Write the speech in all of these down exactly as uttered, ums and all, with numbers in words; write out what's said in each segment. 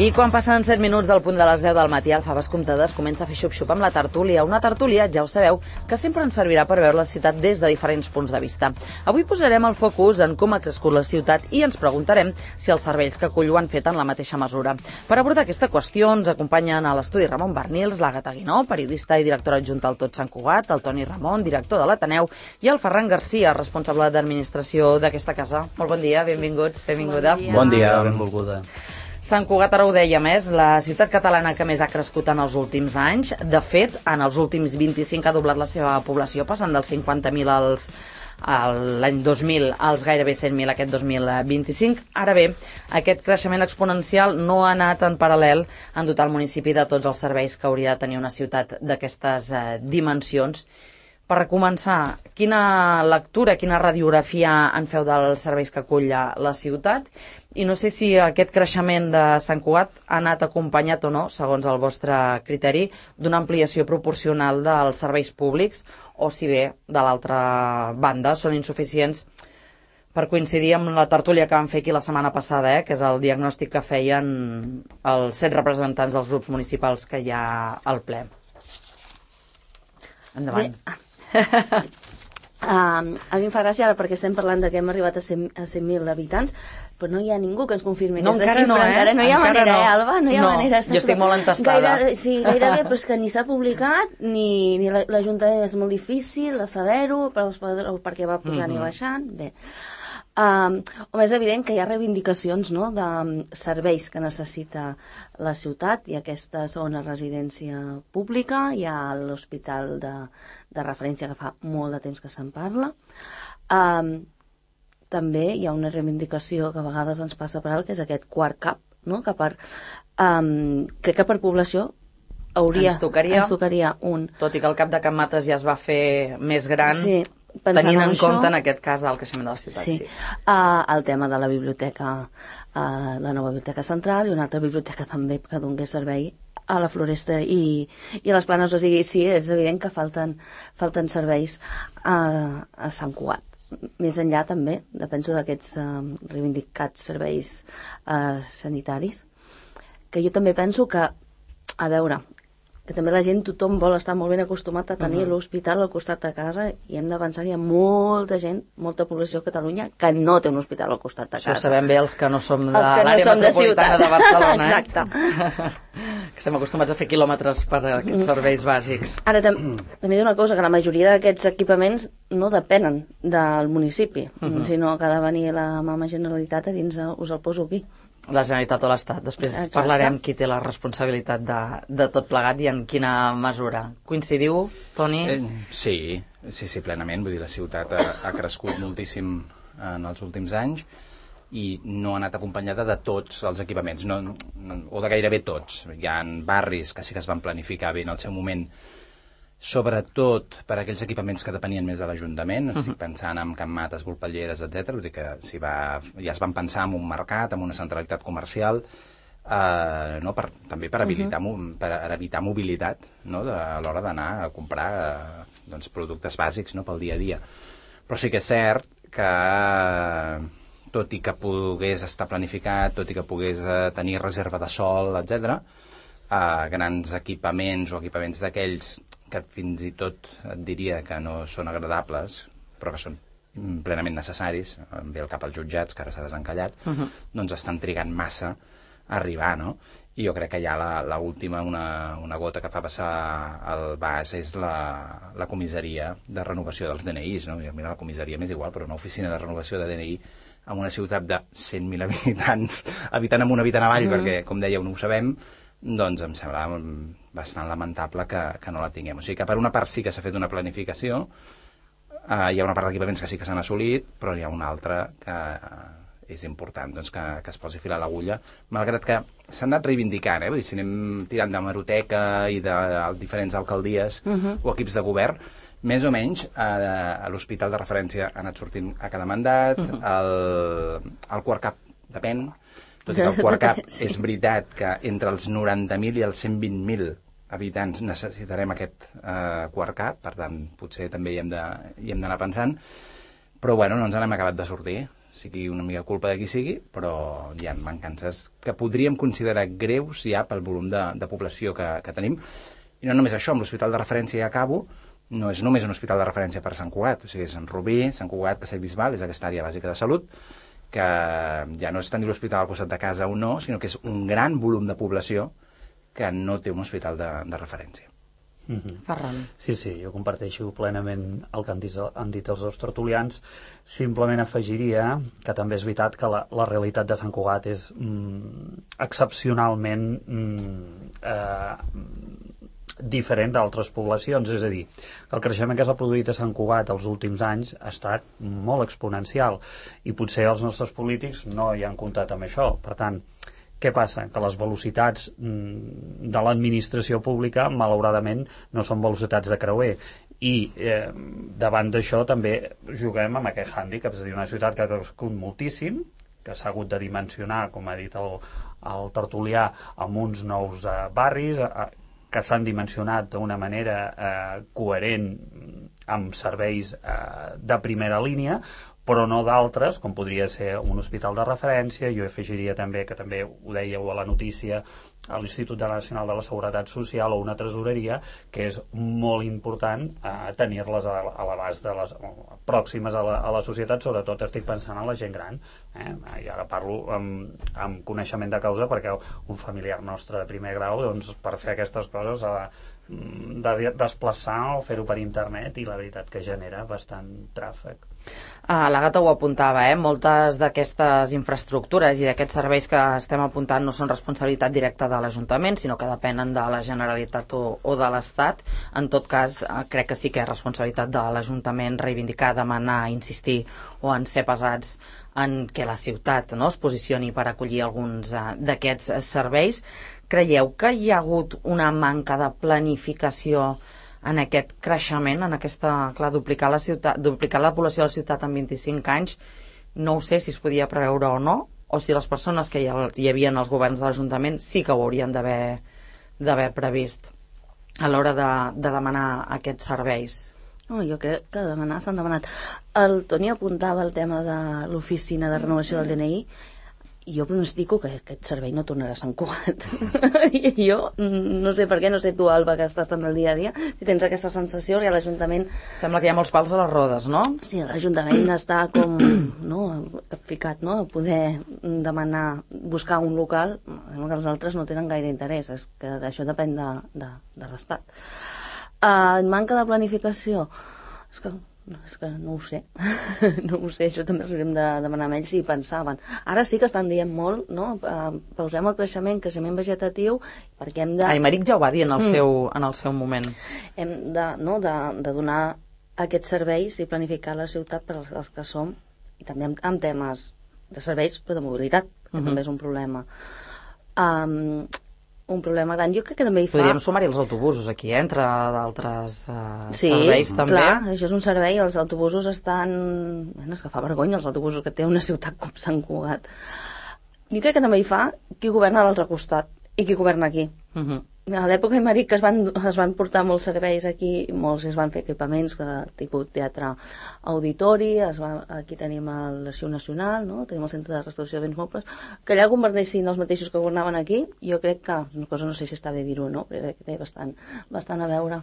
I quan passen set minuts del punt de les deu del matí, el Faves Comptades comença a fer xup-xup amb la tertúlia. Una tertúlia, ja ho sabeu, que sempre ens servirà per veure la ciutat des de diferents punts de vista. Avui posarem el focus en com ha crescut la ciutat i ens preguntarem si els serveis que acull ho han fet en la mateixa mesura. Per abordar aquesta qüestió ens acompanyen a l'estudi Ramon Barnils, l'Àgata Guinó, periodista i directora adjunta al Tot Sant Cugat, el Toni Ramon, director de l'Ateneu, i el Ferran Garcia, responsable d'administració d'aquesta casa. Molt bon dia, benvinguts, benvinguda. Bon dia, bon dia benvolguda. Sant Cugat, ara ho deia més, la ciutat catalana que més ha crescut en els últims anys. De fet, en els últims vint-i-cinc ha doblat la seva població, passant dels cinquanta mil als l'any dos mil als gairebé cent mil aquest dos mil vint-i-cinc. Ara bé, aquest creixement exponencial no ha anat en paral·lel en dotar el municipi de tots els serveis que hauria de tenir una ciutat d'aquestes eh, dimensions. Per començar, quina lectura, quina radiografia en feu dels serveis que acull la ciutat? I no sé si aquest creixement de Sant Cugat ha anat acompanyat o no, segons el vostre criteri, d'una ampliació proporcional dels serveis públics, o si bé, de l'altra banda, són insuficients per coincidir amb la tertúlia que vam fer aquí la setmana passada, eh, que és el diagnòstic que feien els set representants dels grups municipals que hi ha al ple. Endavant. Bé. Uh, a mi em fa gràcia ara perquè estem parlant de que hem arribat a cent mil habitants, però no hi ha ningú que ens confirmi no, aquesta xifra. No, eh? Encara no hi ha encara manera, no. eh, Alba? No hi ha no, manera. Jo estic molt entestada. Gaire, sí, gairebé, però és que ni s'ha publicat, ni, ni l'Ajuntament és molt difícil de saber-ho, per perquè va pujant mm-hmm. i baixant. Bé. Um, home, és evident que hi ha reivindicacions, no?, de serveis que necessita la ciutat. Hi ha aquesta zona residència pública, hi ha l'hospital de, de referència que fa molt de temps que se'n parla. Um, també hi ha una reivindicació que a vegades ens passa per alt, que és aquest quart cap, no?, que per, um, crec que per població hauria, ens tocaria, ens tocaria un. Tot i que el cap de Can Mates ja es va fer més gran, sí, tenint en, en compte això, en aquest cas del creixement de la ciutat. Sí, sí. Uh, el tema de la biblioteca, uh, la nova biblioteca central i una altra biblioteca també que donés servei a la Floresta i, i a les Planes. O sigui, sí, és evident que falten, falten serveis a, a Sant Cugat. Més enllà també, penso d'aquests uh, reivindicats serveis uh, sanitaris, que jo també penso que, a veure, que també la gent, tothom vol estar molt ben acostumat a tenir uh-huh. l'hospital al costat de casa, i hem de pensar que hi ha molta gent, molta població a Catalunya que no té un hospital al costat de casa. Això ho sabem bé els que no som de l'àrea no metropolitana de, de Barcelona. Exacte. Eh? Que estem acostumats a fer quilòmetres per a aquests serveis bàsics. Ara, tam també hi ha una cosa, que la majoria d'aquests equipaments no depenen del municipi, uh-huh. sinó que ha de venir la mama Generalitat a dir-nos, us el poso aquí. La Generalitat o l'Estat. Després Exacte. Parlarem qui té la responsabilitat de, de tot plegat i en quina mesura. Coincidiu, Toni? Eh, sí, sí, sí, plenament. Vull dir, la ciutat ha, ha crescut moltíssim en els últims anys i no ha anat acompanyada de tots els equipaments, no, no, o de gairebé tots. Hi ha barris que sí que es van planificar bé en el seu moment, sobretot per aquells equipaments que depenien més de l'Ajuntament. Estic pensant en Can Mates, Volpelleres, etcètera. Vull dir que si va, ja es van pensar en un mercat, en una centralitat comercial, eh, no, per, també per, habilitar, uh-huh. per evitar mobilitat, no, de, a l'hora d'anar a comprar eh, doncs, productes bàsics, no, pel dia a dia. Però sí que és cert que, tot i que pogués estar planificat, tot i que pogués eh, tenir reserva de sol, etcètera, eh, grans equipaments o equipaments d'aquells que fins i tot et diria que no són agradables, però que són plenament necessaris, em ve el cap als jutjats, que ara s'ha desencallat, uh-huh. doncs estan trigant massa a arribar, no? I jo crec que ja l'última, una, una gota que fa passar el vas és la, la comissaria de renovació dels D N Is, no? Mira, la comissaria m'és igual, però una oficina de renovació de D N I en una ciutat de cent mil habitants, habitant amunt, habitant avall, uh-huh. perquè, com dèieu, no ho sabem, doncs em sembla bastant lamentable que, que no la tinguem. O sigui que per una part sí que s'ha fet una planificació, eh, hi ha una part d'equipaments que sí que s'han assolit, però hi ha una altra que eh, és important doncs, que, que es posi fil a l'agulla, malgrat que s'han anat reivindicant, eh? Vull dir, si anem tirant de Maroteca i de, de diferents alcaldies uh-huh. o equips de govern, més o menys a, a l'hospital de referència ha anat sortint a cada mandat, uh-huh. el, el quart cap depèn, tot i que el quart cap sí. és veritat que entre els noranta mil i els cent vint mil habitants necessitarem aquest eh, quart cap, per tant potser també hi hem d'anar pensant, però bueno, no ens n'hem acabat de sortir. sigui una mica culpa de qui sigui, però hi ha mancances que podríem considerar greus ja pel volum de, de població que, que tenim. I no només això, amb l'hospital de referència, ja acabo, no és només un hospital de referència per Sant Cugat, o sigui, és Sant Rubí, Sant Cugat, Castellbisbal, és aquesta àrea bàsica de salut, que ja no és tenir l'hospital al costat de casa o no, sinó que és un gran volum de població que no té un hospital de, de referència. Mm-hmm. Ferran. Sí, sí, jo comparteixo plenament el que han dit, han dit els dos tertulians. Simplement afegiria que també és veritat que la, la realitat de Sant Cugat és mm, excepcionalment mm, eh, diferent d'altres poblacions, és a dir, el creixement que s'ha produït a Sant Cugat els últims anys ha estat molt exponencial i potser els nostres polítics no hi han comptat amb això. Per tant, què passa? Que les velocitats de l'administració pública, malauradament, no són velocitats de creuer. I eh, davant d'això també juguem amb aquest hàndicap, és a dir, una ciutat que ha crescut moltíssim, que s'ha hagut de dimensionar, com ha dit el, el tertulià, amb uns nous eh, barris, eh, que s'han dimensionat d'una manera eh, coherent amb serveis eh, de primera línia, però no d'altres, com podria ser un hospital de referència. Jo afegiria també, que també ho dèieu a la notícia, a l'Institut Nacional de la Seguretat Social o una tresoreria, que és molt important eh, tenir-les a, a l'abast de les pròximes a la, a la societat, sobretot estic pensant en la gent gran. Eh? I ara parlo amb, amb coneixement de causa, perquè un familiar nostre de primer grau, doncs, per fer aquestes coses ha de desplaçar o fer-ho per internet, i la veritat que genera bastant tràfic. Uh, l'Àgata ho apuntava, eh? Moltes d'aquestes infraestructures i d'aquests serveis que estem apuntant no són responsabilitat directa de l'Ajuntament, sinó que depenen de la Generalitat o, o de l'Estat. En tot cas, uh, crec que sí que és responsabilitat de l'Ajuntament reivindicar, demanar, insistir o en ser pesats en què la ciutat, no, es posicioni per acollir alguns uh, d'aquests serveis. Creieu que hi ha hagut una manca de planificació en aquest creixement, en aquesta, clar, duplicar la ciutat, duplicar la població de la ciutat en vint-i-cinc anys? No ho sé si es podia preveure o no, o si les persones que hi, hi havia en els governs de l'Ajuntament sí que ho haurien d'haver d'haver previst a l'hora de, de demanar aquests serveis. No, jo crec que demanar s'han demanat. El Toni apuntava el tema de l'oficina de renovació del D N I. Jo pronostico que aquest servei no tornarà a Sant Cugat. I jo no sé per què, no sé tu, Alba, que estàs també el dia a dia, si tens aquesta sensació que l'Ajuntament... Sembla que hi ha molts pals a les rodes, no? Sí, l'Ajuntament està com, no, capficat, no?, a poder demanar, buscar un local. Sembla que els altres no tenen gaire interès, és que això depèn de, de, de l'Estat. Uh, manca de planificació? És que... No, és que no ho sé. No ho sé, això també hauríem de demanar amb ells si pensaven. Ara sí que estan dient molt, no? Uh, pausem el creixement, creixement vegetatiu, perquè hem de... Aymeric ja ho va dir en el, mm. seu, en el seu moment. Hem de, no, de, de donar aquests serveis i planificar la ciutat per als, als que som, i també amb, amb temes de serveis, però de mobilitat, que mm-hmm. també és un problema. Um, un problema gran. Jo crec que també hi fa... Podríem sumar-hi els autobusos aquí, eh? Entre d'altres uh, sí, serveis també. Sí, clar, això és un servei. Els autobusos estan... Bueno, és que fa vergonya els autobusos que té una ciutat com Sant Cugat. Jo crec que també hi fa qui governa a l'altre costat i qui governa aquí. Uh-huh. A l'època Aymeric que es van, es van portar molts serveis aquí, molts es van fer equipaments, que, tipus teatre auditori, es va, aquí tenim l'Arxiu Nacional, no? Tenim el Centre de Restauració de Béns Mobles, que allà governessin els mateixos que governaven aquí. Jo crec que, una cosa no sé si està bé dir-ho o no, però crec que té bastant, bastant a veure.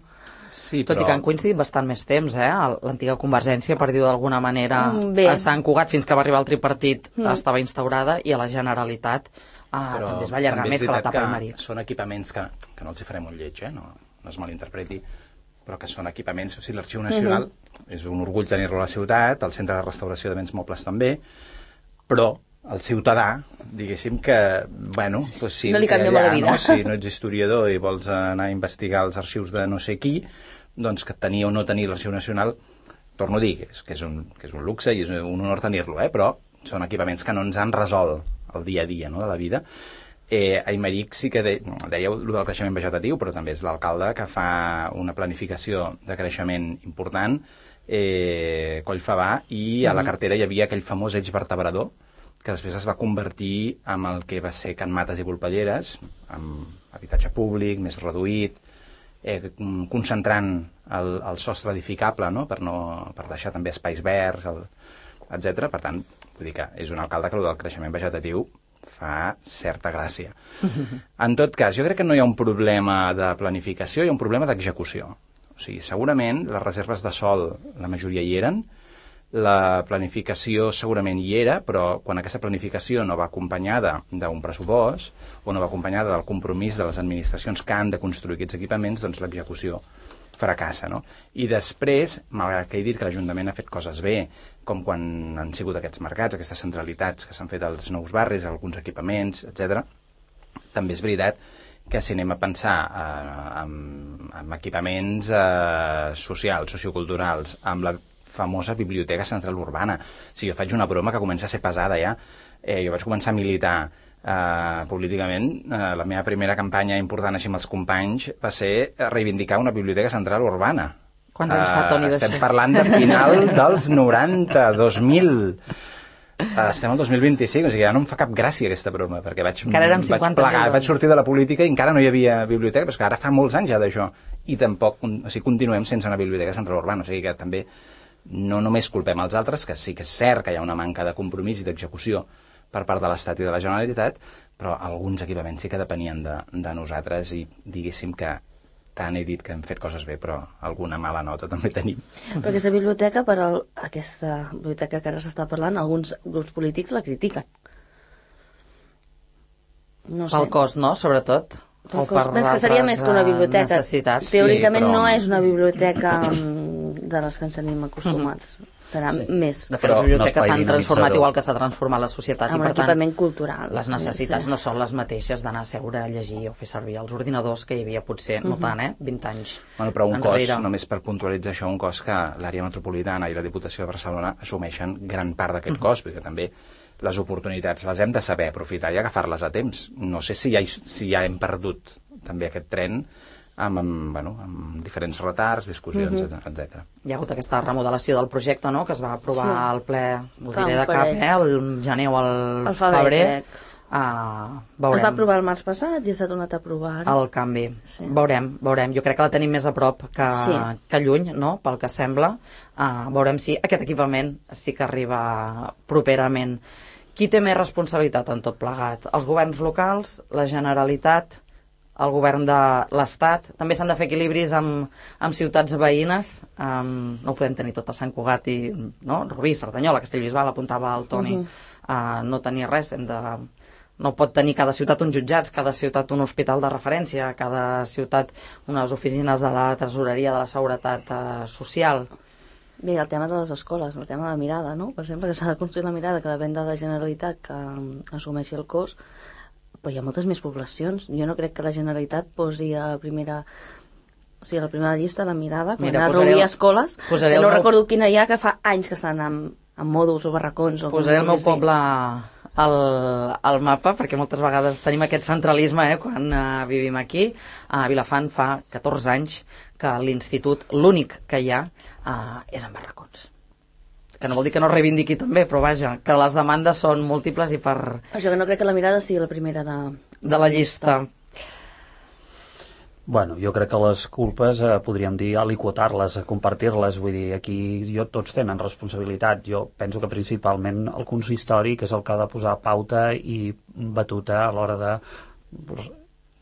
Sí, però... Tot i que han coincidit bastant més temps, eh? L'antiga Convergència, per dir-ho d'alguna manera, bé. A Sant Cugat, fins que va arribar el tripartit, mm. estava instaurada, i a la Generalitat Ah, també es va allargar més que l'etapa Aymeric. Són equipaments que, que no els hi farem un lleig, eh? no, no es malinterpreti, però que són equipaments, o sigui, l'Arxiu Nacional uh-huh. és un orgull tenir-lo a la ciutat, el Centre de Restauració de Béns Mobles també, però el ciutadà, diguéssim que, bueno, pues sí, no li canvia allà, la vida. No? Si no ets historiador i vols anar a investigar els arxius de no sé qui, doncs que tenir o no tenir l'Arxiu Nacional, torno a dir, que és, que és, un, que és un luxe i és un honor tenir-lo, eh? Però són equipaments que no ens han resolt el dia a dia, no?, de la vida. Eh, Aymeric sí que de, dèieu el del creixement vegetatiu, però també és l'alcalde que fa una planificació de creixement important, eh, Collfabà, i a la cartera hi havia aquell famós eix vertebrador, que després es va convertir en el que va ser Can Mates i Volpelleres, amb habitatge públic, més reduït, eh, concentrant el, el sostre edificable, no?, per, no, per deixar també espais verds, el, etcètera. Per tant, Vull dir que és un alcalde que el del creixement vegetatiu fa certa gràcia. En tot cas, jo crec que no hi ha un problema de planificació, hi ha un problema d'execució. O sigui, segurament les reserves de sòl, la majoria hi eren, la planificació segurament hi era, però quan aquesta planificació no va acompanyada d'un pressupost o no va acompanyada del compromís de les administracions que han de construir aquests equipaments, doncs l'execució fracassa, no? I després, malgrat que he dit que l'Ajuntament ha fet coses bé, com quan han sigut aquests mercats, aquestes centralitats que s'han fet als nous barris, alguns equipaments, etcètera, també és veritat que si anem a pensar eh, en, en equipaments eh, socials, socioculturals, amb la famosa Biblioteca Central Urbana. O sigui, jo faig una broma que comença a ser pesada ja. Eh, jo vaig començar a militar Uh, políticament, uh, la meva primera campanya important així amb els companys va ser reivindicar una biblioteca central urbana. Quants anys fa, Toni, d'això? Estem parlant de final dels noranta, dos mil. Uh, estem al dos mil vint-i-cinc, o sigui, ja no em fa cap gràcia aquesta broma, perquè vaig, vaig plegar, vaig sortir de la política i encara no hi havia biblioteca, però és que ara fa molts anys ja d'això, i tampoc, o sigui, continuem sense una biblioteca central urbana, o sigui que també no només culpem els altres, que sí que és cert que hi ha una manca de compromís i d'execució per part de l'Estat i de la Generalitat, però alguns equipaments sí que depenien de, de nosaltres i diguéssim que tant he dit que hem fet coses bé, però alguna mala nota també tenim. Però aquesta biblioteca, per al, aquesta biblioteca que ara s'està parlant, alguns grups polítics la critiquen. No sé. Pel cost, no?, sobretot. Pel cost. Penso que seria més que una biblioteca. Necessitats. Teòricament sí, però... no és una biblioteca de les que ens tenim acostumats. Mm-hmm. Serà sí. més. De fet, les biblioteques s'han no transformat igual que s'ha transformat la societat. Amb i, per equipament tant, cultural. Les necessitats sí. no són les mateixes d'anar a seure a llegir o fer servir els ordinadors que hi havia potser, uh-huh. no tant, eh? vint anys bueno, però un enrere. Cost, només per puntualitzar això, un cost que l'àrea metropolitana i la Diputació de Barcelona assumeixen gran part d'aquest uh-huh. cost, perquè també les oportunitats les hem de saber aprofitar i agafar-les a temps. No sé si ja, si ja hem perdut també aquest tren amb, amb, bueno, amb diferents retards, discussions, uh-huh. etcètera. Hi ha hagut aquesta remodelació del projecte, no?, que es va aprovar sí. al ple, ho diré de cap, eh, el gener o el, el febrer. febrer. Uh, veurem. Es va aprovar el març passat i s'ha tornat a aprovar. El canvi. Sí. Veurem, veurem. Jo crec que la tenim més a prop que, sí. que lluny, no?, pel que sembla. Uh, veurem si aquest equipament sí que arriba properament. Qui té més responsabilitat en tot plegat? Els governs locals, la Generalitat, el govern de l'Estat. També s'han de fer equilibris amb, amb ciutats veïnes. Um, no ho podem tenir tot a Sant Cugat i, no? Rubí, Cerdanyola, Castellbisbal, apuntava el Toni. Uh-huh. uh, no tenir res, hem de... No pot tenir cada ciutat uns jutjats, cada ciutat un hospital de referència, cada ciutat unes oficines de la tresoreria de la seguretat uh, social. Bé, el tema de les escoles, el tema de la mirada, no? Per exemple, que s'ha de construir la mirada, que depèn de la Generalitat que um, assumeixi el cost, però hi ha moltes més poblacions. Jo no crec que la Generalitat posi a la primera... O sigui, a la primera llista la mirada, quan Mira, a reobrir escoles, que no meu... recordo quina hi ha, que fa anys que estan amb, amb mòduls o barracons. O posaré el meu poble al, al mapa, perquè moltes vegades tenim aquest centralisme, eh, quan uh, vivim aquí. A Vilafant fa catorze anys que l'institut, l'únic que hi ha, uh, és en barracons. Que no vol dir que no reivindiqui també, però vaja, que les demandes són múltiples i per... Això que no crec que la mirada sigui la primera de, de, de la llista. Bueno, jo crec que les culpes, eh, podríem dir, aliquotar-les, compartir-les, vull dir, aquí jo, tots tenen responsabilitat. Jo penso que principalment el consistori, que és el que ha de posar pauta i batuta a l'hora de pues,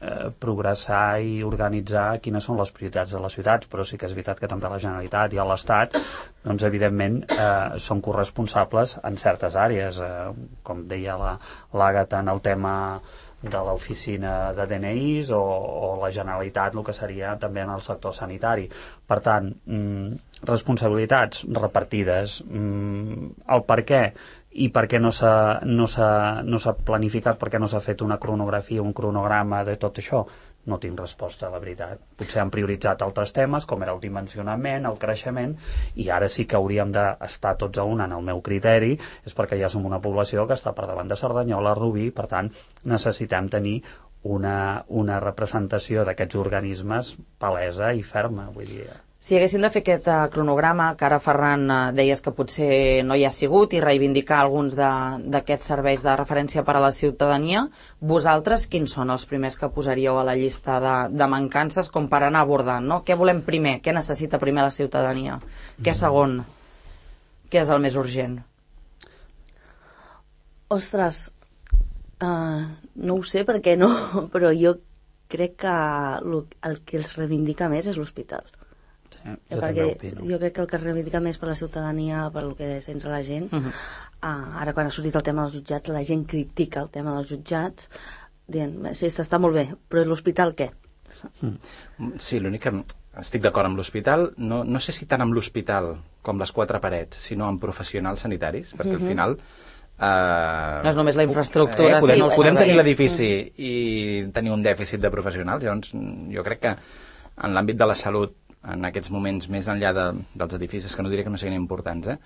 eh, progressar i organitzar quines són les prioritats de les ciutats, però sí que és veritat que també la Generalitat i l'Estat, doncs evidentment eh, són corresponsables en certes àrees, eh, com deia l'Àgata en el tema de l'oficina de D N Is o, o la Generalitat, el que seria també en el sector sanitari. Per tant, mm, responsabilitats repartides, mm, el per què i per què no s'ha no s'ha no s'ha planificat, per què no s'ha fet una cronografia, un cronograma de tot això, no tinc resposta, la veritat. Potser han prioritzat altres temes, com era el dimensionament, el creixement, i ara sí que hauríem d'estar tots a una, en el meu criteri, és perquè ja som una població que està per davant de Cerdanyola, Rubí, per tant, necessitem tenir una, una representació d'aquests organismes palesa i ferma, vull dir... Si haguéssim de fer aquest uh, cronograma, que ara Ferran uh, deies que potser no hi ha sigut, i reivindicar alguns d'aquests serveis de referència per a la ciutadania, vosaltres quins són els primers que posaríeu a la llista de, de mancances com per anar abordant, no? Què volem primer? Què necessita primer la ciutadania? Què segon? Què és el més urgent? Ostres, uh, no ho sé perquè no, però jo crec que lo, el que els reivindica més és l'hospital. Sí, jo perquè també opino. jo crec que el que reivindica més per la ciutadania, per el que sents a la gent, uh -huh. uh, ara quan ha sortit el tema dels jutjats, la gent critica el tema dels jutjats, dient, sí, està molt bé, però l'hospital què? Sí, l'únic que estic d'acord amb l'hospital, no, no sé si tant amb l'hospital com les quatre parets, sinó amb professionals sanitaris, perquè uh -huh. al final... Uh, no és només la infraestructura, eh, podem, sinó podem sí. tenir l'edifici uh -huh. i tenir un dèficit de professionals, llavors jo crec que en l'àmbit de la salut, en aquests moments, més enllà de, dels edificis, que no diré que no siguin importants, eh,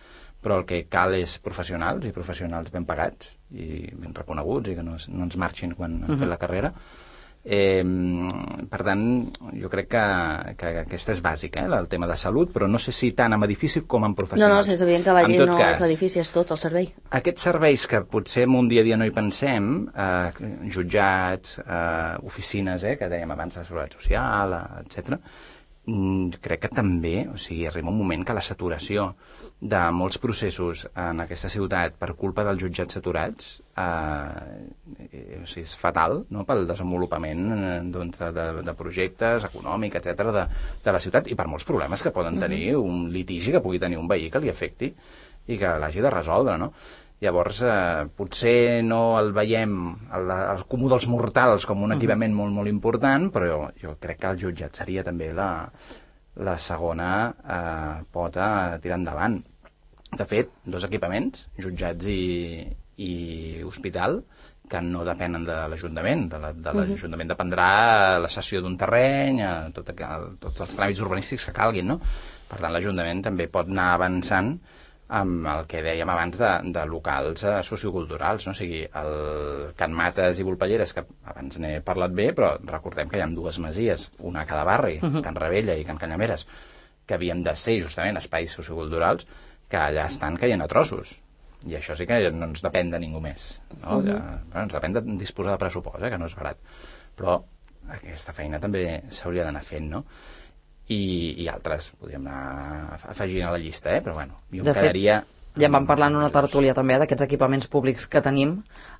però el que cal és professionals, i professionals ben pagats i ben reconeguts, i que no, no ens marxin quan han uh -huh. fet la carrera. Eh, per tant, jo crec que, que aquesta és bàsica, eh, el tema de salut, però no sé si tant amb edifici com amb professionals. No, no, és evident que Valler no cas, és l'edifici, és tot el servei. Aquests serveis que potser en un dia a dia no hi pensem, eh, jutjats, eh, oficines, eh, que dèiem abans, de seguretat social, etcètera, crec que també, o sigui, arriba un moment que la saturació de molts processos en aquesta ciutat per culpa dels jutjats saturats eh, o sigui, és fatal, no?, pel desenvolupament eh, doncs, de, de projectes econòmic, etcètera, de, de la ciutat, i per molts problemes que poden tenir, mm-hmm. un litigi que pugui tenir un veí que li afecti i que l'hagi de resoldre, no? Llavors, eh, potser no el veiem el, el comú dels mortals com un equipament molt, molt important, però jo crec que el jutjat seria també la, la segona eh, pota a tirar endavant. De fet, dos equipaments, jutjats i, i hospital, que no depenen de l'Ajuntament. De l'Ajuntament de dependrà la cessió d'un terreny, eh, tot, tots els tràmits urbanístics que calguin, no? Per tant, l'Ajuntament també pot anar avançant amb el que dèiem abans de, de locals eh, socioculturals, no? O sigui, el Can Mates i Volpelleres, que abans n'he parlat bé, però recordem que hi ha dues masies, una a cada barri, uh-huh. Can Rebella i Can Canyameres, que havien de ser justament espais socioculturals, que allà estan caient a trossos. I això sí que no ens depèn de ningú més, no? Uh-huh. Que, bueno, ens depèn de disposar de pressupost, eh, que no és barat. Però aquesta feina també s'hauria d'anar fent, no? I, i altres, podríem anar afegint a la llista, eh? Però bueno, jo de em quedaria... Fet, ja en vam parlar en una tertúlia també d'aquests equipaments públics que tenim,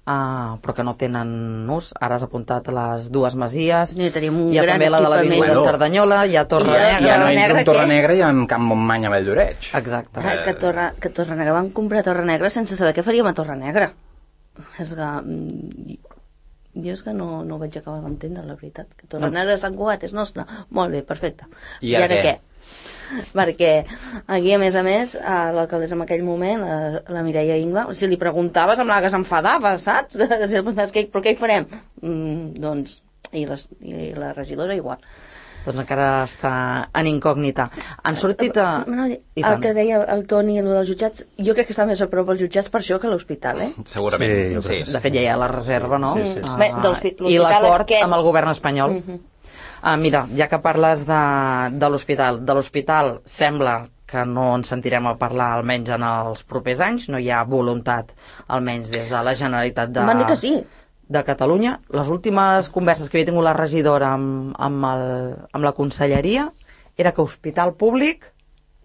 uh, però que no tenen ús. Ara has apuntat les dues masies, I tenim un hi ha gran també la de l'avinguda bueno, de Cerdanyola, hi ha Torre ja, Negra... Ja no entro en Torre què? Negra i en Camp Montmany a Valldoreix. Exacte. Ah, és que Torre, que Torre Negra van comprar Torre Negra sense saber què faríem a Torre Negra. És que... Jo és que no, no ho vaig acabar d'entendre, la veritat. Que Torre no. Negra de Sant Cugat és nostra. Molt bé, perfecte. I, I ara què? què? Perquè aquí, a més a més, l'alcaldessa en aquell moment, la, la Mireia Ingla, si li preguntaves, semblava que s'enfadava, saps? Si li preguntaves, què, però què hi farem? Mm, doncs, i, les, i la regidora igual. Doncs encara està en incògnita. Han sortit a... No, el que deia el Toni, el dels jutjats, jo crec que està més a prop els jutjats per això que l'hospital, eh? Segurament, sí. sí. De fet, ja hi ha la reserva, no? Sí, sí, sí. Uh, Bé, de I l'acord aquest... amb el govern espanyol. Uh -huh. uh, mira, ja que parles de, de l'hospital, de l'hospital sembla que no ens sentirem a parlar almenys en els propers anys, no hi ha voluntat, almenys des de la Generalitat de... Van dir que sí. de Catalunya. Les últimes converses que havia tingut la regidora amb, amb, el, amb la conselleria era que hospital públic...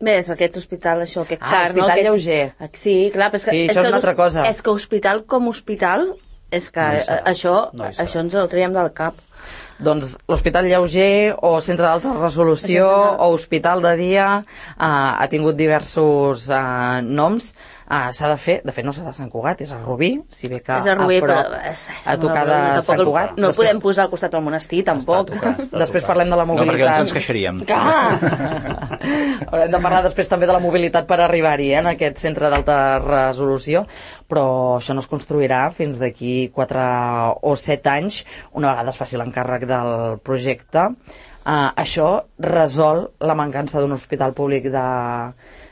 Bé, és aquest hospital, això, aquest ah, car, hospital no? Aquest... lleuger. Sí, clar, però és que... Sí, és això que, és una altra cosa. És que hospital com hospital, és que no això, no això ens ho traiem del cap. Doncs l'hospital lleuger o centre d'alta resolució o hospital de dia uh, ha tingut diversos uh, noms. Uh, s'ha de fer, de fet no s'ha de Sant Cugat, és a Rubí, si bé que és a Rubí, a prop, però és, és a tocar de Sant Cugat. No el Després, podem posar al costat del monestir, tampoc. Està a tocar, està a després tocar. parlem de la No, mobilitat. perquè llavors ens queixaríem. Haurem de parlar després també de la mobilitat per arribar-hi, eh, en aquest centre d'alta resolució, però això no es construirà fins d'aquí quatre o set anys, una vegada es faci l'encàrrec del projecte. Uh, això resol la mancança d'un hospital públic de,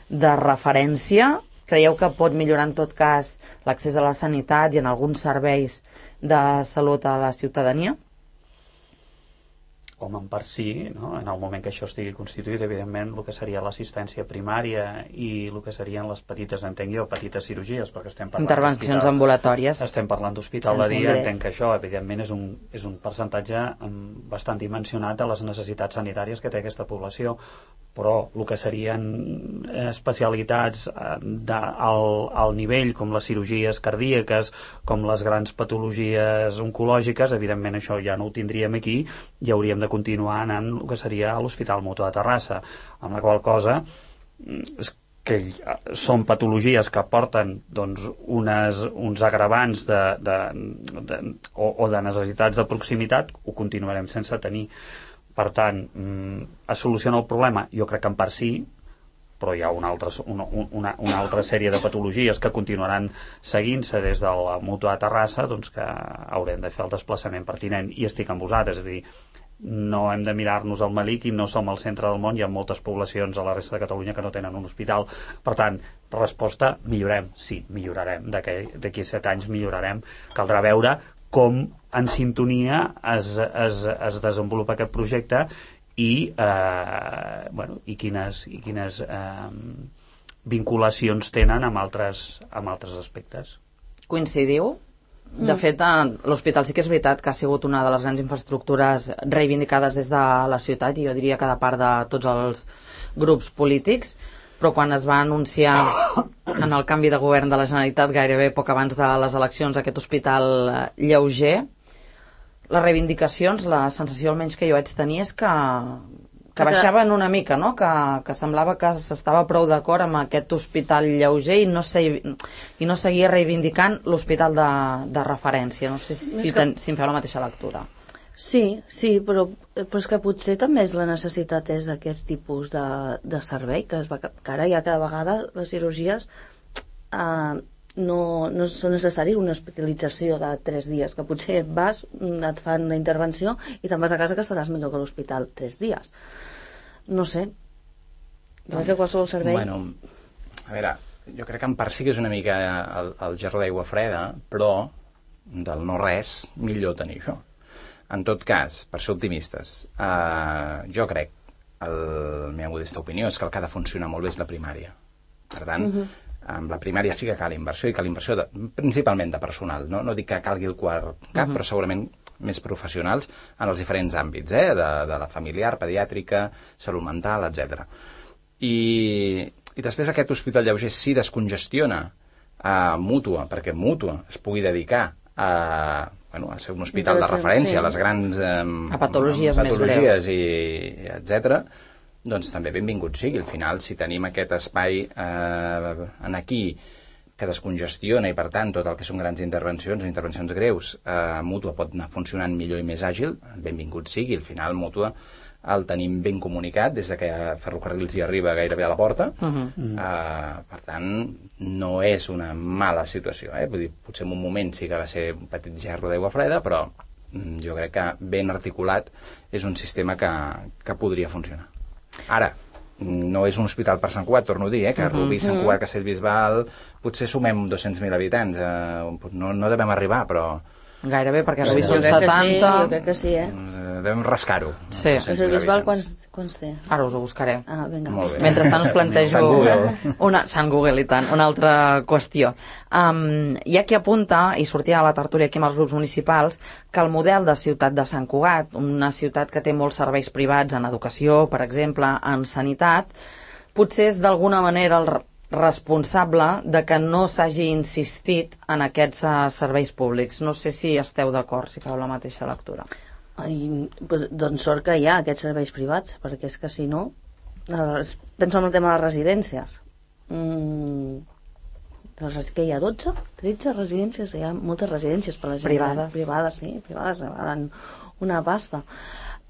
de referència. Creieu que pot millorar en tot cas l'accés a la sanitat i en alguns serveis de salut a la ciutadania? Home, en part sí, no? En el moment que això estigui constituït, evidentment, el que seria l'assistència primària i el que serien les petites, entenc jo, petites cirurgies, perquè estem parlant Intervencions ambulatòries. Estem parlant d'hospital de Sense dia, ingrés. entenc que això, evidentment, és un, és un percentatge um, bastant dimensionat de les necessitats sanitàries que té aquesta població, però el que serien especialitats de, al, al nivell, com les cirurgies cardíaques, com les grans patologies oncològiques, evidentment això ja no ho tindríem aquí i hauríem de continuar anant el que seria a l'Hospital Mutu de Terrassa, amb la qual cosa que són patologies que porten doncs, unes, uns agravants de, de, de, o, o de necessitats de proximitat, ho continuarem sense tenir. Per tant, es soluciona el problema? Jo crec que en part sí, però hi ha una altra, una, una, una altra sèrie de patologies que continuaran seguint-se des de la Mutu de Terrassa, doncs que haurem de fer el desplaçament pertinent, i estic amb vosaltres, és a dir, no hem de mirar-nos al malic i no som al centre del món, hi ha moltes poblacions a la resta de Catalunya que no tenen un hospital. Per tant, resposta, millorem, sí, millorarem, d'aquí a set anys millorarem. Caldrà veure com en sintonia es, es, es desenvolupa aquest projecte i, eh, bueno, i quines, i quines eh, vinculacions tenen amb altres, amb altres aspectes. Coincidiu? De fet, l'hospital sí que és veritat que ha sigut una de les grans infraestructures reivindicades des de la ciutat, i jo diria que de part de tots els grups polítics, però quan es va anunciar en el canvi de govern de la Generalitat, gairebé poc abans de les eleccions, aquest hospital lleuger, les reivindicacions, la sensació almenys que jo vaig tenir és que, que baixaven una mica, no? que, que semblava que s'estava prou d'acord amb aquest hospital lleuger i no, se, i no seguia reivindicant l'hospital de, de referència. No sé si, ten, si em feu la mateixa lectura. Sí, sí, però, però és que potser també és la necessitat és d'aquest tipus de, de servei, que, es va, que ara ja cada vegada les cirurgies eh, no, no són necessari una hospitalització de tres dies, que potser vas, et fan la intervenció i te'n vas a casa que estaràs millor que a l'hospital tres dies. No sé. Jo crec que qualsevol servei... Bueno, a veure, jo crec que en part sí que és una mica el, el gerro d'aigua freda, però del no res millor tenir això. En tot cas, per ser optimistes, eh, jo crec, el, la meva modesta opinió és que el que ha de funcionar molt bé és la primària. Per tant, uh-huh. amb la primària sí que cal inversió, i cal inversió de, principalment de personal, no, no dic que calgui el quart cap, uh-huh. però segurament més professionals en els diferents àmbits, eh? de, de la familiar, pediàtrica, salut mental, etcètera. I, i després aquest hospital lleuger sí descongestiona a Mútua, perquè Mútua es pugui dedicar a, bueno, a ser un hospital de referència, sí. a les grans eh, a patologies, patologies més greus, i, i etcètera, doncs també benvingut sigui. Al final, si tenim aquest espai eh, en aquí que descongestiona i, per tant, tot el que són grans intervencions o intervencions greus, eh, Mútua pot anar funcionant millor i més àgil, benvingut sigui. Al final, Mútua el tenim ben comunicat des de que Ferrocarrils hi arriba gairebé a la porta. Uh-huh. eh, per tant, no és una mala situació. Eh? Vull dir, potser en un moment sí que va ser un petit gerro d'aigua freda, però jo crec que ben articulat és un sistema que, que podria funcionar. Ara, no és un hospital per Sant Cugat, torno a dir, eh, que Rubí, Sant Cugat, Castellbisbal, potser sumem dos-cents mil habitants, eh, no, no devem arribar, però... Gairebé, perquè Rubí sí, són setanta... Sí, jo crec que sí, eh? Devem rascar-ho. Sí. Castellbisbal quants, quants té? Ara us ho buscaré. Ah, vinga. Mentrestant us plantejo... Sant Google. Una, Sant Google, i tant. Una altra qüestió. Um, hi ha qui apunta, i sortia a la tertúlia aquí amb els grups municipals, que el model de ciutat de Sant Cugat, una ciutat que té molts serveis privats en educació, per exemple, en sanitat, potser és d'alguna manera el responsable de que no s'hagi insistit en aquests uh, serveis públics. No sé si esteu d'acord, si feu la mateixa lectura. Ai, doncs sort que hi ha aquests serveis privats, perquè és que si no... Penso en el tema de les residències. Mm, que hi ha dotze, tretze residències, hi ha moltes residències per la gent. Privades. Privades, sí, privades, valen una pasta.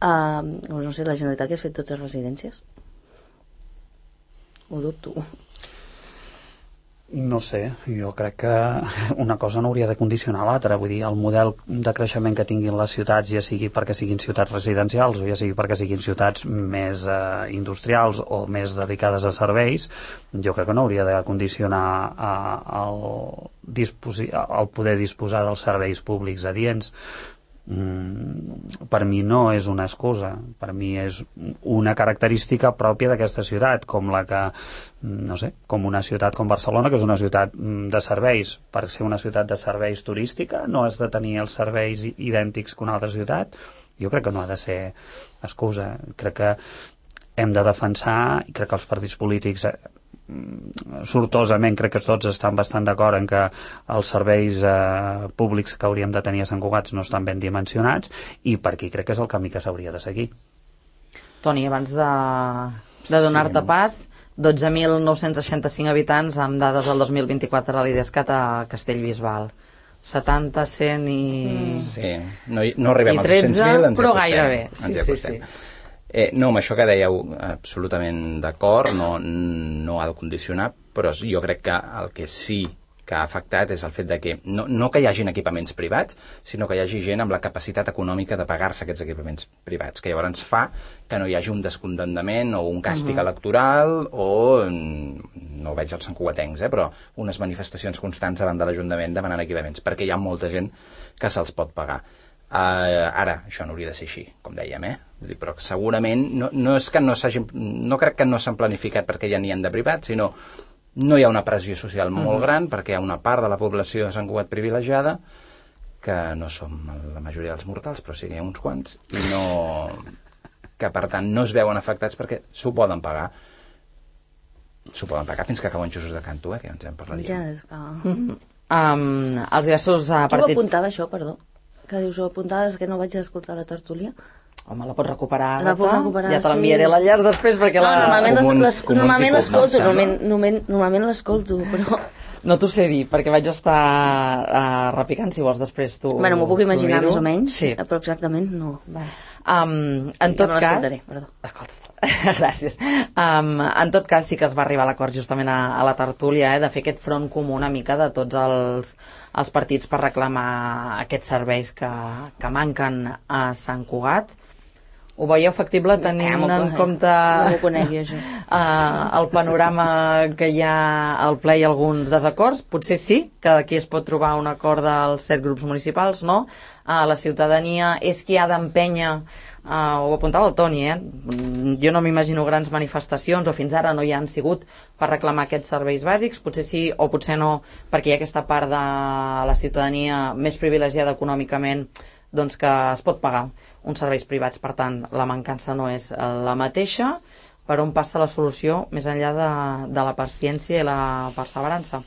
Uh, no sé, la Generalitat que has fet totes les residències? Ho dubto. No sé, jo crec que una cosa no hauria de condicionar l'altra. Vull dir, el model de creixement que tinguin les ciutats, ja sigui perquè siguin ciutats residencials o ja sigui perquè siguin ciutats més eh, industrials o més dedicades a serveis, jo crec que no hauria de condicionar eh, el, disposi- el poder disposar dels serveis públics adients. Mm, per mi no és una excusa, per mi és una característica pròpia d'aquesta ciutat, com la que, no sé, com una ciutat com Barcelona, que és una ciutat de serveis. Per ser una ciutat de serveis turística no has de tenir els serveis idèntics que una altra ciutat. Jo crec que no ha de ser excusa. Crec que hem de defensar, i crec que els partits polítics eh, sortosament crec que tots estan bastant d'acord en que els serveis eh, públics que hauríem de tenir a Sant Cugat no estan ben dimensionats, i per aquí crec que és el camí que s'hauria de seguir. Toni, abans de, de donar-te Sí. pas, dotze mil nou-cents seixanta-cinc habitants amb dades del dos mil vint-i-quatre a l'IDESCAT a Castellbisbal. setanta, cent i... Sí, no, hi- no arribem I als tretze, dos-cents mil, ens hi però acostem, gairebé. ens Sí, hi sí, acostem. sí. Eh, no, amb això que dèieu, absolutament d'acord, no, no ha de condicionar, però jo crec que el que sí que ha afectat és el fet de que no, no que hi hagin equipaments privats, sinó que hi hagi gent amb la capacitat econòmica de pagar-se aquests equipaments privats, que llavors fa que no hi hagi un descontentament o un càstig uh-huh. electoral o, no ho veig als santcugatencs, eh, però unes manifestacions constants davant de l'Ajuntament demanant equipaments, perquè hi ha molta gent que se'ls pot pagar. Uh, ara, això no hauria de ser així, com dèiem, eh? Vull dir, però segurament no, no és que no s'hagin, no crec que no s'han planificat perquè ja n'hi ha de privats, sinó no hi ha una pressió social molt uh-huh. gran perquè hi ha una part de la població de Sant Cugat privilegiada que no som la majoria dels mortals, però sí que hi ha uns quants, i no... que per tant no es veuen afectats perquè s'ho poden pagar. S'ho poden pagar fins que acaben Jesús de Canto, eh? Que ja ens en parlaríem. Ja, és que... Um, els diversos uh, Qui ho partits... apuntava, això, perdó? Que dius, ho apuntaves, que no vaig escoltar la tertúlia? Home, la pots recuperar, La puc Agata? recuperar, Ja te sí. l'enviaré l'enllaç després perquè No, la... normalment les- Comuns- les- comuns normalment i l'escolto, comuns, normalment, normalment, normalment l'escolto, però... No t'ho sé dir, perquè vaig estar uh, repicant, si vols després tu... Bueno, m'ho puc imaginar tu més o menys, Sí. però exactament no. Va. Um, en Ja tot me cas... l'escoltaré, perdó. Escolta, gràcies. Um, en tot cas sí que es va arribar a l'acord justament a, a la tertúlia, eh, de fer aquest front comú una mica de tots els, els partits per reclamar aquests serveis que, que manquen a Sant Cugat. Ho veieu factible tenint m'ho en conec. compte No m'ho conec jo, això. uh, el panorama que hi ha al ple i alguns desacords? Potser sí, que aquí es pot trobar un acord dels set grups municipals, no? Uh, la ciutadania és qui ha d'empènyer, uh, ho apuntava el Toni, eh? Jo no m'imagino grans manifestacions, o fins ara no hi han sigut per reclamar aquests serveis bàsics, potser sí o potser no, perquè hi ha aquesta part de la ciutadania més privilegiada econòmicament, doncs que es pot pagar uns serveis privats, per tant la mancança no és la mateixa. Per on passa la solució més enllà de, de la paciència i la perseverança?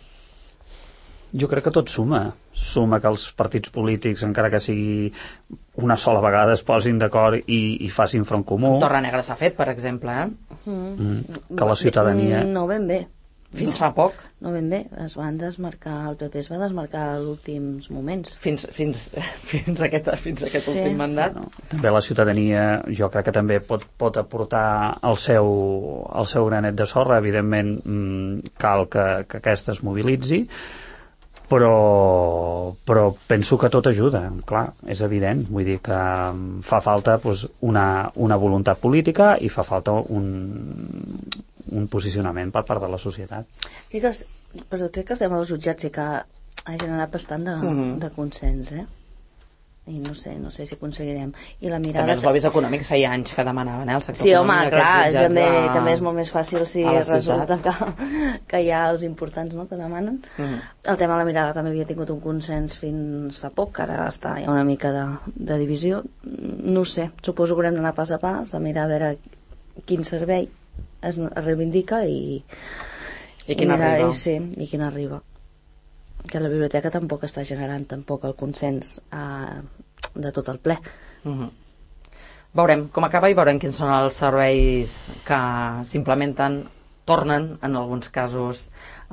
Jo crec que tot suma. Suma que els partits polítics, encara que sigui una sola vegada, es posin d'acord i, i facin front comú. Torre Negra s'ha fet, per exemple, eh? Mm, que la ciutadania... No ben bé. Fins fa poc. No ben bé. Es van desmarcar, el P P es va desmarcar als últims moments. Fins, fins, fins a aquest, fins a aquest Sí. últim mandat. No, també la ciutadania jo crec que també pot, pot aportar el seu, el seu granet de sorra. Evidentment mm, cal que, que aquesta es mobilitzi, però, però penso que tot ajuda, clar, és evident, vull dir que fa falta doncs, una, una voluntat política i fa falta un, un posicionament per part de la societat. Crec que, els, però crec que el tema dels jutjats sí que ha generat bastant de, Mhm. de consens, eh? I no sé, no sé si aconseguirem. I la mirada... També els lobbies econòmics feia anys que demanaven, eh? El sector Sí, home, econòmic, clar, aquests jutjats també, de- també és molt més fàcil si a la resulta que, que hi ha els importants, no?, que demanen. Mhm. El tema de la mirada també havia tingut un consens fins fa poc, que ara està, hi ha una mica de, de divisió. No ho sé, suposo que haurem d'anar pas a pas, de mirar a veure quin servei es, es reivindica i... I quin mirar, arriba. I, sí, i quin arriba. Que la biblioteca tampoc està generant tampoc el consens eh, de tot el ple. Mhm. Veurem com acaba i veurem quins són els serveis que s'implementen, tornen en alguns casos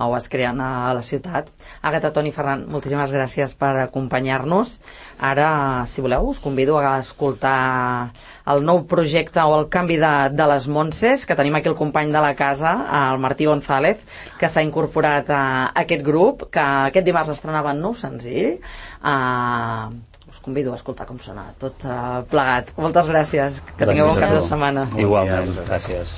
o es creen a la ciutat. Àgata, Toni, Ferran, moltíssimes gràcies per acompanyar-nos. Ara, si voleu, us convido a escoltar el nou projecte o el canvi de, de les Montses, que tenim aquí el company de la casa, el Martí González, que s'ha incorporat a aquest grup, que aquest dimarts estrenava un nou senzill. Uh, us convido a escoltar com sona tot uh, plegat. Moltes gràcies, que tingueu bon cap de setmana. Igualment, gràcies.